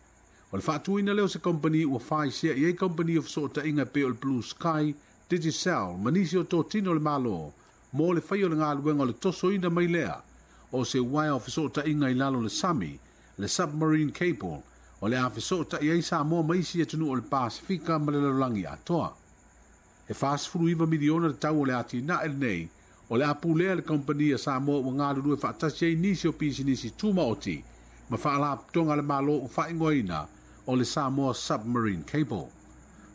O le faatuina lea o se kompani ua faisea i ai kompani o fesootaiga e pei o le Blue Sky, Digicel ma nisi o totino o le Mālō mo le faia o le galuega o le tosoina mai lea o se uaea o fesootaiga i lalo o le sami, le submarine cable, o le a fesootai ai Samoa ma isi atunuu o le Pasefika ma le lalolagi atoa. E 49 miliona le tau o le atinae lenei, o le a pulea e le kompani a Samoa ua galulue faatasi ai nisi o pisinisi tumaoti ma faalapotopotoga a le Mālō ua faaigoaina o le Samoa Submarine Cable.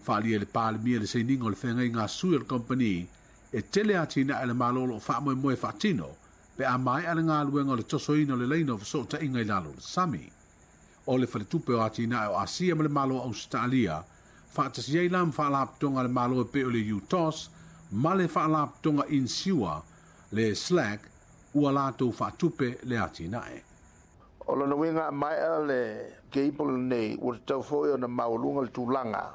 Faaalia e le Palemia le sainiga o le feagaiga a sui o le kompani e tele atinae a le Mālō o loo faamoemoe e faatino pe a maea le galuega o le tosoina o le laina o fesootaiga i lalo o le sami. O le Faletupe o Atinae o Asia ma le Malo o Ausetalia, faatasi ai la ma faalapotopotoga a le Malo e pei o le UTOS ma le faalapotopotoga inisiua le SLAC ua latou faatupe le atinae. O lona uiga a maea le cable lenei, ua tatau foi ona maualuga le tulaga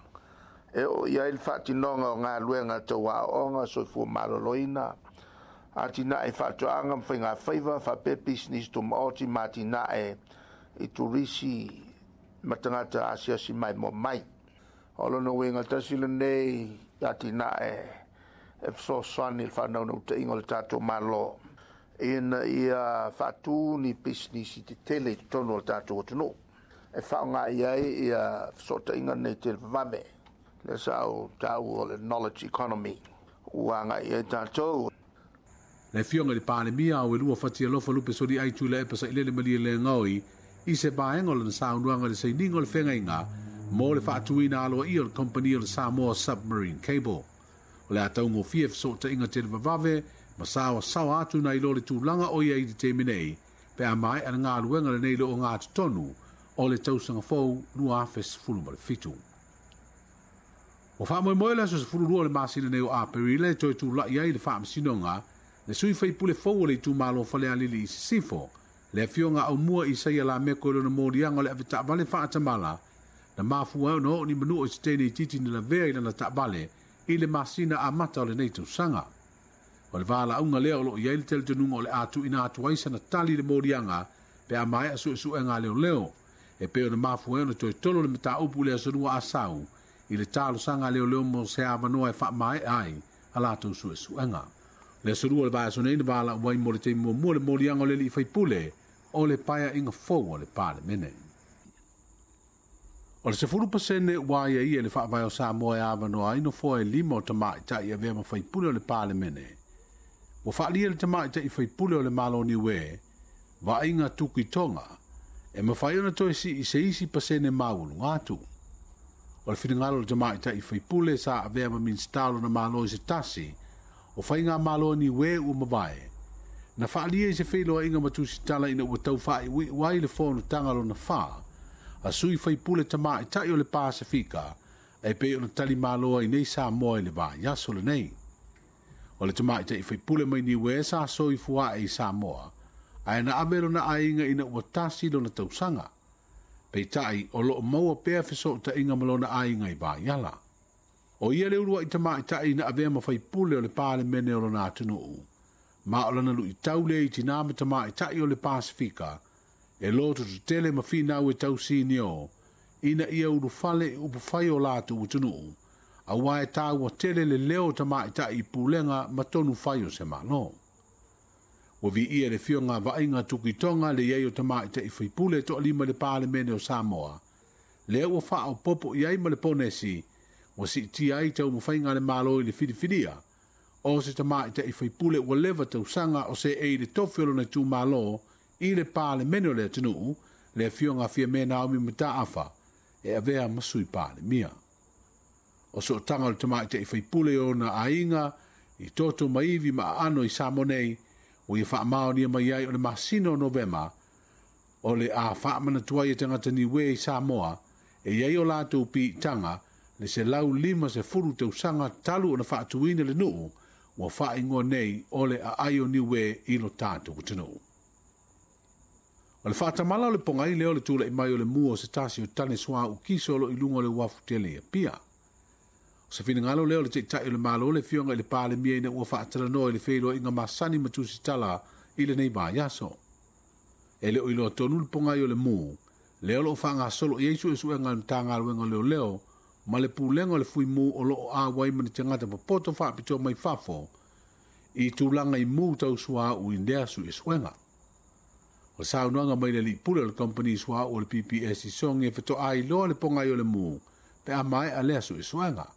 e oo i ai le faatinoga o galuega tau aoaoga, soifua maloloina, atinae faatoaga ma faigafaiva, faapea pisinisi tumaoti ma atinae i turisi ma tagata asiasi maimoa mai. O lona uiga tasi lenei atinae e fesoasoani i le faanaunautaiga o le tatou Malo ina ia faatū ni pisinisi tetele i totonu o le tatou atunuu e faaaoga i ai ia fesootaiga nei televavave. Lea sa ou taua o le knowledge economy ua agai i ai tatou. Le Afioga i le Palemia, Auelua Fatialofa Lupe Soliai Tuilaepa Sailele Malielegaoi i se vaega o lana saunoaga i le sainiga o le feagaiga mo le faatuina aloaia o le kompani o le Samoa Submarine Cable. O le a taugofie fesootaiga televavave ma saoasaoa atu nai lo le tulaga o i ai i le taimi nei pe a maea le galuega lenei i le ogatotonu o le tausaga fou 2017. Ua faamoemoe le aso 12 o le masina nei o Aperila e toe tula'i ai i le faamasinoga le sui faipule fou o le itumālō Falealili i Sisifo, le Afioga Aumua Isaia Lameko i lona moliaga o le avetaavale faatamala na mafua ai ona oo ni manua i se teine itiiti na lavea i lana taavale i le masina amata o lenei tausaga. O le valaauga lea o loo i ai le talitonuga o le a tuuina atu ai sana tali i le moliaga pe a maea suesuega a leoleo, e pei ona mafua ai ona toe tolo le mataupu i le aso Lua Asau i le talosaga a leoleo mo se avanoa e faamaea ai a latou suesuega. Le aso Lua o le vaiaso nei na valaau ai mo le taimi muamua le moliaga o le alii faipule o le paeaiga fou a le Palemene. O le 10% ua aiaia i le Faavae o Samoa e avanoa ai nofoa e 5 o tamaitai e avea ma faipule o le Palemene. Ua faalia e le tamaitai faipule o le Malo o Niue, Vaaiga Tuki Tonga, e mafai ona toe sii i se isi pasene maualuga atu. O le finagalo o le tamaitai faipule sa avea ma Minisita o lona Malo i se tasi o faigamalo a Niue ua mavae, na faalia i se feiloaiga ma tusitala ina ua tau faaiuiu ai le fonotaga lona fa a sui faipule tamaitai o le Pasefika e pei ona talimalo ai nei Samoa i le vaiaso lenei. O le tamaitai faipule mai Niue sa soifua ae i Samoa, ae na ave lona aiga ina ua 1 lona tausaga. Peitai o loo maua pea fesootaiga ma lona aiga i Vaiala. O ia le uluai tamaitai na avea ma faipule o le Palemene o lona atunuu, ma o lana luitau lea i tinā ma tamaitai o le Pasefika e lototetele ma finau e tausinio ina ia ulufale i upufai o latou atunuu, auā e taua tele le leo o tamaitai i pulega ma tonu fai o se Malo. Ua viia le Afioga a Vaaiga Tukitonga le i ai o tamaitai faipule e toalima i le Palemene o Samoa, lea ua faaopoopo i ai ma le ponesi ua siitia ai taumafaiga a le Malo i le filifilia o se tamaitai faipule ua leva tausaga o seei i le tofi o lona itumalo i le Palemene o le atunuu, le Afioga a Fiame Naomi Mataafa, e avea ma Sui Palemia. O sootaga o le tamaitai faipule i ona aiga i toto ma ivi ma aano i Samoa nei, ua ia faamaonia mai ai o le masina o Novema, o le a faamanatu ai e tagata Niue i Samoa e i ai o latou piitaga le 150 tausaga talu ona faatuina le nuu ua faaigoa nei o le Aai o Niue i lo tatou atunuu. O le faatamala o le pogai lea o le tulai mai o le mu o se tasi o tane suauu kiso o lo o i luga o le uafu tele i Apia. O se finagalo lea o le Taitai o le Malo le Afioga i le Palemia ina ua faatalanoa i le feiloaiga masani ma tusitala i lenei vaiaso. E le o iloa tonu le pogai o le mu lea o lo o faagasolo i ai suesuega a le Matagaluega o Leoleo ma le Pulega o le Fuimu o lo o auai ma ni tagata popoto faapitoa mai fafo i tulaga i mu tau suauu i lea suesuega. O le saunoaga mai le alii pule o le kamupani suauu o le PPS i Sogi e fetoa iloa le pogai o le mu pe a maea lea suesuega.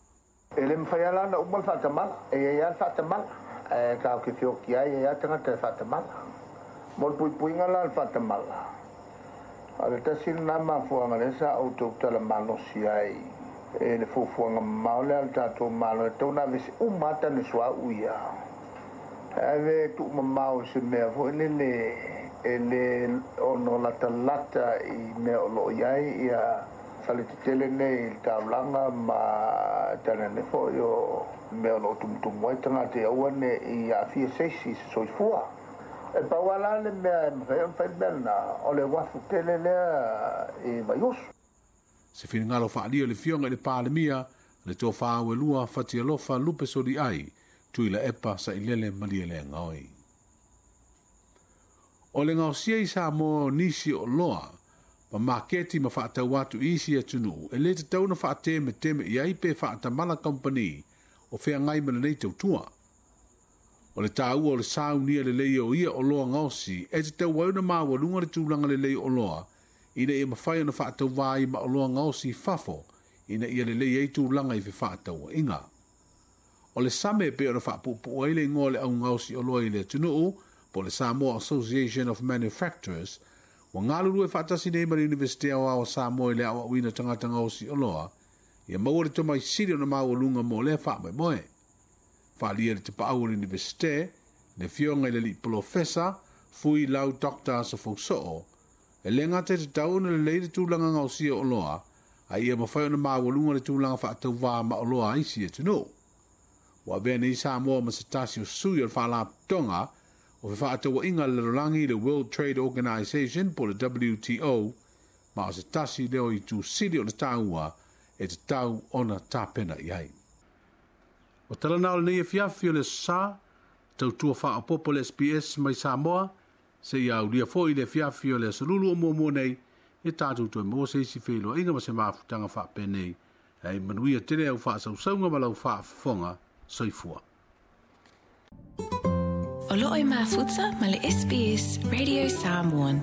E le mafai lava la ona uma le faatamala. E i ai lava le faatamala, ae tatou te feoti ai, e i ai lava tagata e faatamala. Mo le puipuiga la o le faatamala, o le tasi lena mafuaaga lea sa ou tautala malosi ai i le fuafuaga mamao lea a le tatou Malo e tatau ona aveese uma lava tane suauu ia. Ae ave e tuumamao i se mea foi lele e le ono latalata i mea o lo o i ai ia fale tetele nei i le taulaga ma tainane foi o mea o lo o tumutumu ai tagata ia aua ne i aafia se isi i se soifua. E pau lava la le mea e mafai ona fai le mea lena, o le uafu tele lea i Vaiusu. Se finagalo faaalia o le Afioga i le Palemia, le Tofa Auelua Fatialofa Lupe Soliai, Tuilaepa Sailele Malielegaoi. O le gaosia i Samoa o nisi o oloa ma maketi ma faatau atu i isi atunuu e le tatau ona faatemeteme i ai pe faatamala kamupani o feagai ma lenei tautua. O le taua o le saunia lelei o ia oloa gaosi e tatau ai ona maualuga le tulaga lelei o oloa ina ia mafai ona faatauvā ai ma oloa gaosi i fafo ina ia lelei ai tulaga i fefaatauaiga. O le SAME e pei ona faapuupuu ai le igoa o le au gaosi oloa i le atunuu, po o le Samoa Association of Manufacturers, ua galulue faatasi nei ma le Iunivesite Aoao o Samoa i le aoaoina o tagata gaosi oloa, ia maua le tomai sili ona maualuga mo lea faamoemoe. Faaalia i le tapaau o le Iunivesite, le Afioga i le Alii Polofesa, Fui Lau Doctor Asofousoo, E le gata e tatau ona lelei le tulaga gaosia o oloa, a ia mafai ona maualuga le tulaga faatauvā ma oloa a isi atunuu. Ua avea nei Samoa ma se tasi o sui o le Faalapotopotoga o Fefaatauaiga a le Lalolagi, le World Trade Organization po o le WTO, ma o se tasi lea o itu sili ona taua e tatau ona tapena i ai. O tala na o lenei afiafi o le Aso Sa, tautua faaopoopo le SBS mai Samoa, Seia aulia foi i le afiafi o le Aso Lulu o muamua nei, ia tatou toe maua se isi feiloaiga ma se mafutaga faapenei. Hei manuia tele au faasausauga ma lau faafofoga. Soifua. O loo e mafuta ma le SBS Radio Samoan.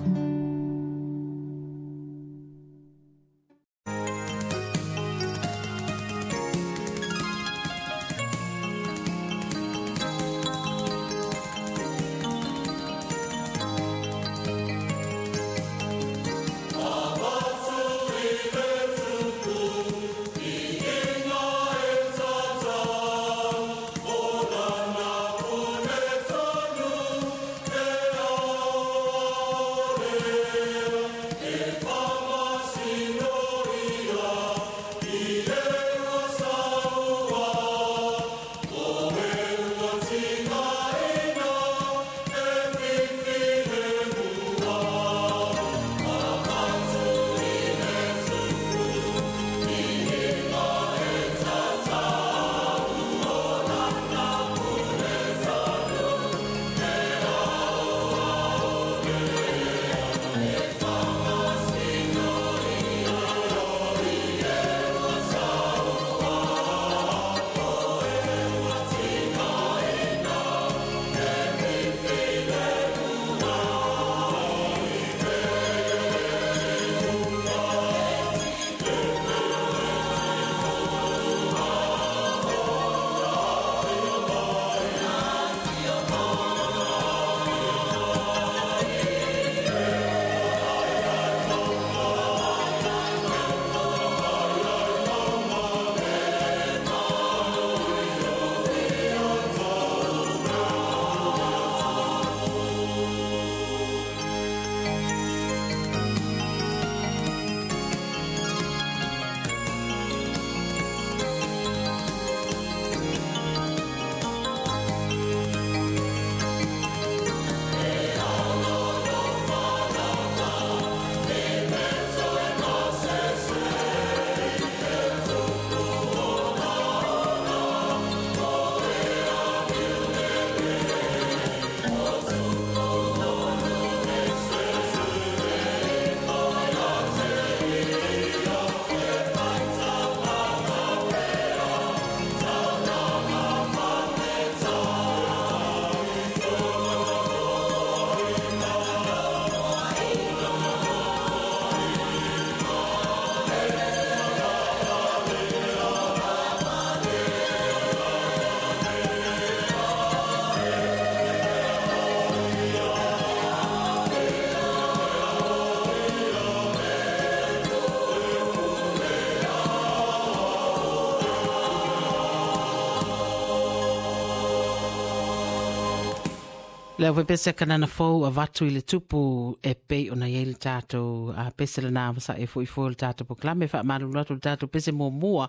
Le au pese kanana fou avatu i le tupu e pei ona iai le tātou a pese le nā masa e fo i fo le tātou poklame wha malu atu le tātou pese mua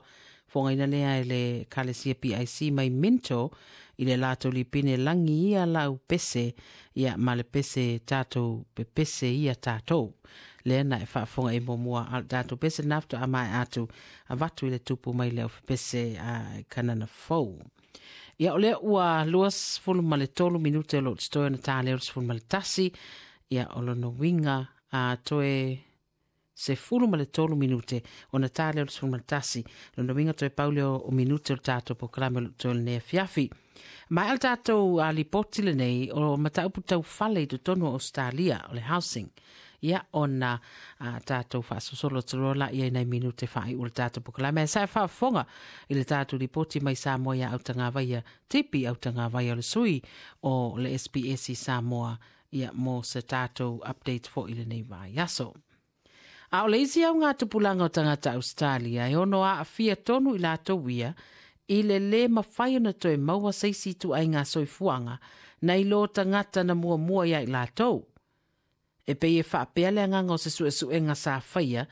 fonga ina lea e le kalesia PIC mai Minto i le lātou lipine langi ia lau pese ia ma le pese tātou pe pese ia tātou. Lea na e whaafonga e mua al tātou pese nafto a mai atu avatu i le tupu mai le au pese a kanana fou. Ia o lea ua 23 minute o lo te na tā leo 11. Ia o lono winga a toe 13 minute o na tā leo 11. Lono winga toe paule o minute o tātou po kalame o toe nea fiafi. Mai al tātou a lipoti le nei o mataupu tau fale i totonu o Australia o le housing. Ia ona tātou whaasosolo torola ia nei minute whaai o le tātou pokalame. Sa e whaafonga i le tātou ripoti mai Samoa ia autangavaia, tipi autangavaia o le sui o le SBS i Samoa ia mo se tātou update fo i le nei vai aso. A o le isi au ngā tupulanga o tangata Australia e ono a awhia tonu i lātou ia i le le mawhai ona toe maua seisi tu ai ngā soifuanga na i lo tangata na mua mua ia i lātou. E pei e whaapea le anganga o se suesuenga sa whaia,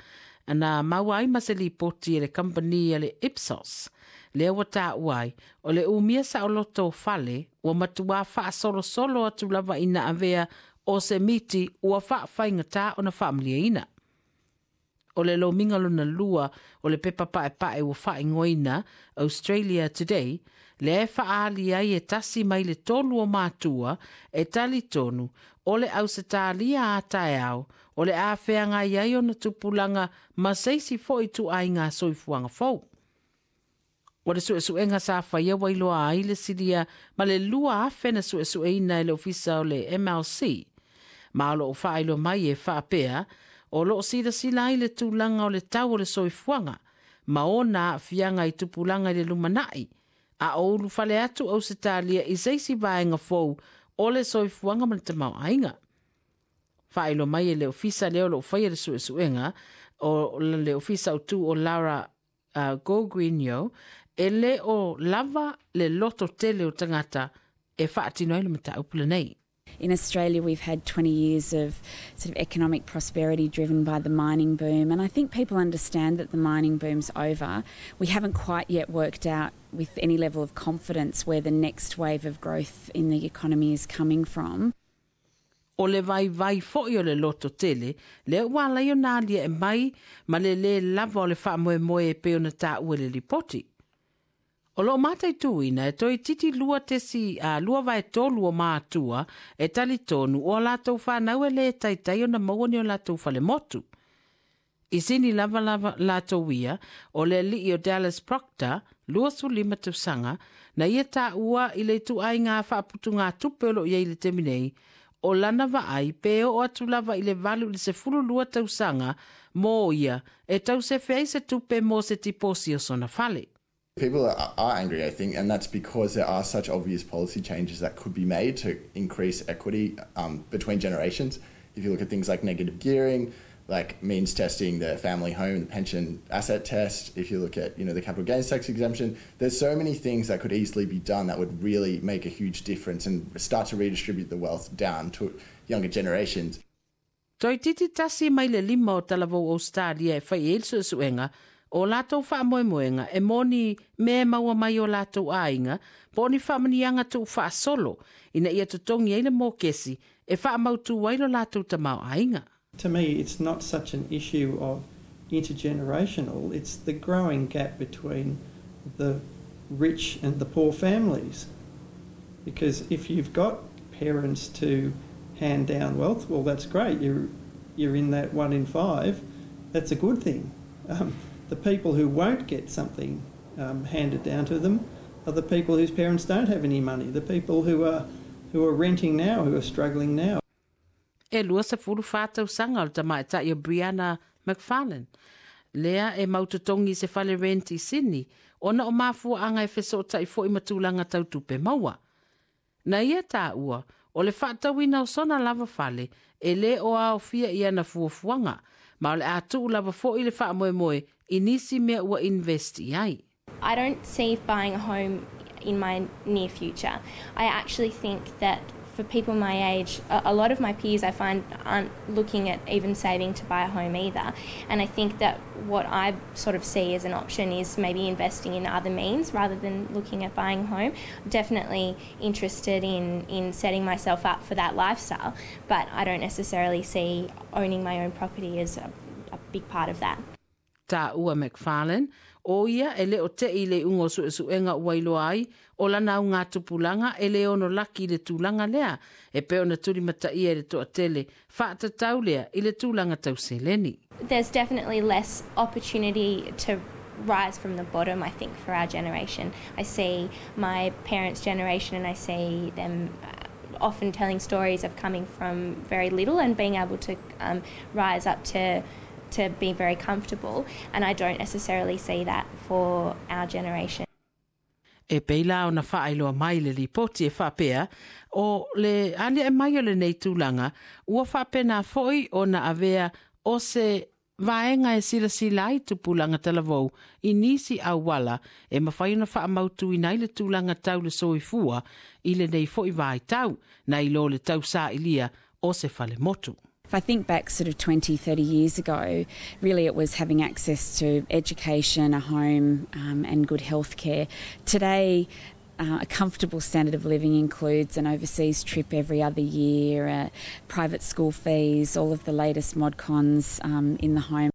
na maua ai ma se lipoti e le company e le Ipsos. Lea ua tā uai, o le umia sa o loto o fale, ua matua whaasolosolo atu lava ina avea o se miti ua whaawhainga o na whaamliaina. O le lominga lona lua o le pepa pae pae ua whaingoina Australia Today, le e whaali ai e tasi mai le tolu o mātua e tali tonu o le Ausetalia a taeao, o le āwheanga iai o na tupulanga ma seisi fo i tu ai ngā soifuanga fou. O le suesuenga sa whaia wailoa ai le siria ma le lua awhena suesueina e le ofisa o le MLC. Ma o lo o whailo mai e whaapea, o lo o sila sila ai le tūlanga o le tau o le soifuanga, ma ona whianga i tupulanga i le lumanai, a o ulu fale atu Ausetalia i seisi vaenga fou o le soifuanga ma le tamau ainga. Whailo mai e le ofisa leo lo whaia le suesuenga, o le ofisa o tu o Lara Gogrinio, e le o lava le loto tele o tangata e whaatino ai le mataupule nei. In Australia, we've had 20 years of sort of economic prosperity driven by the mining boom, and I think people understand that the mining boom's over. We haven't quite yet worked out with any level of confidence where the next wave of growth in the economy is coming from. O le vai vai fo i o le loto tele, le ua lai o nā lia e mai, ma le le lava o le wha moe moe e pe o na tā ue le lipoti. O lo mātai tūina e toi titi lua tesi a lua vai tolu o mātua e tali tonu o lātou whanau e le taitai o na mauani o lātou whale motu. I sini lava lava lātou ia o le lii o Dallas Proctor, 25 tausanga, na ia tā ua i le tu ai ngā whaaputu ngā tupe o lo ia i le teminei, o lana vaai pe o atu lava i le valu i le 12 tausanga mō ia e tausefe ai se tupe mō se tiposi o sona fale. People are angry, I think, and that's because there are such obvious policy changes that could be made to increase equity between generations. If you look at things like negative gearing, like means testing the family home, the pension asset test, if you look at, you know, the capital gains tax exemption, there's so many things that could easily be done that would really make a huge difference and start to redistribute the wealth down to younger generations. Toi titi tasi mai le lima o talavou Australia e whai e suesuenga, o lātou whaamoemoenga e moni me maua mai o lātou āinga, po ni whaamanianga tū whaasolo, ina ia tutongi ai le mōkesi e whaamautu ai lo lātou tamau āinga. To me, it's not such an issue of intergenerational, it's the growing gap between the rich and the poor families. Because if you've got parents to hand down wealth, well, that's great, you're in that 1 in 5, that's a good thing. The people who won't get something handed down to them are the people whose parents don't have any money, the people who are renting now, who are struggling now. E lua se fulu whātau sanga o le tamaitai o Brianna McFarlane. Lea e mautotongi se fale rent i Sydney, ona o mafua anga e fesotai fo i matulanga tautupe maua. Na ia tā ua, o le whaatauina o sona lava fale, e le o aofia i ana fuafuanga, ma o le ātuu lava fo i le whaamoemoe i nisi mea ua invest i ai. I don't see buying a home in my near future. I actually think that For people my age, a lot of my peers I find aren't looking at even saving to buy a home either. And I think that what I sort of see as an option is maybe investing in other means rather than looking at buying a home. I'm definitely interested in setting myself up for that lifestyle, but I don't necessarily see owning my own property as a big part of that. Taua McFarlane, o ia e le o te i le ungo su su enga wailoa ai, o lana au ngā tupulanga e le ono laki i le tūlanga lea, e pe ona turi mata ia i le toa tele, whaatatau lea i le tūlanga tau seleni. There's definitely less opportunity to rise from the bottom, I think, for our generation. I see my parents' generation and I see them often telling stories of coming from very little and being able to rise up to be very comfortable, and I don't necessarily see that for our generation. E peila o na whaailoa mai le ripoti e whaapea, o le alia e mai o le nei tūlanga, ua whaapena foi o na avea o se vaenga e sila sila ai tupulanga talavou i nisi auala e mawhai ona whaamautu i nei le tūlanga tau le soifua i le nei foi vai tau, na i lo le tau sa ilia o se whale motu. If I think back sort of 20, 30 years ago, really it was having access to education, a home and good health care. Today, a comfortable standard of living includes an overseas trip every other year, private school fees, all of the latest mod cons in the home.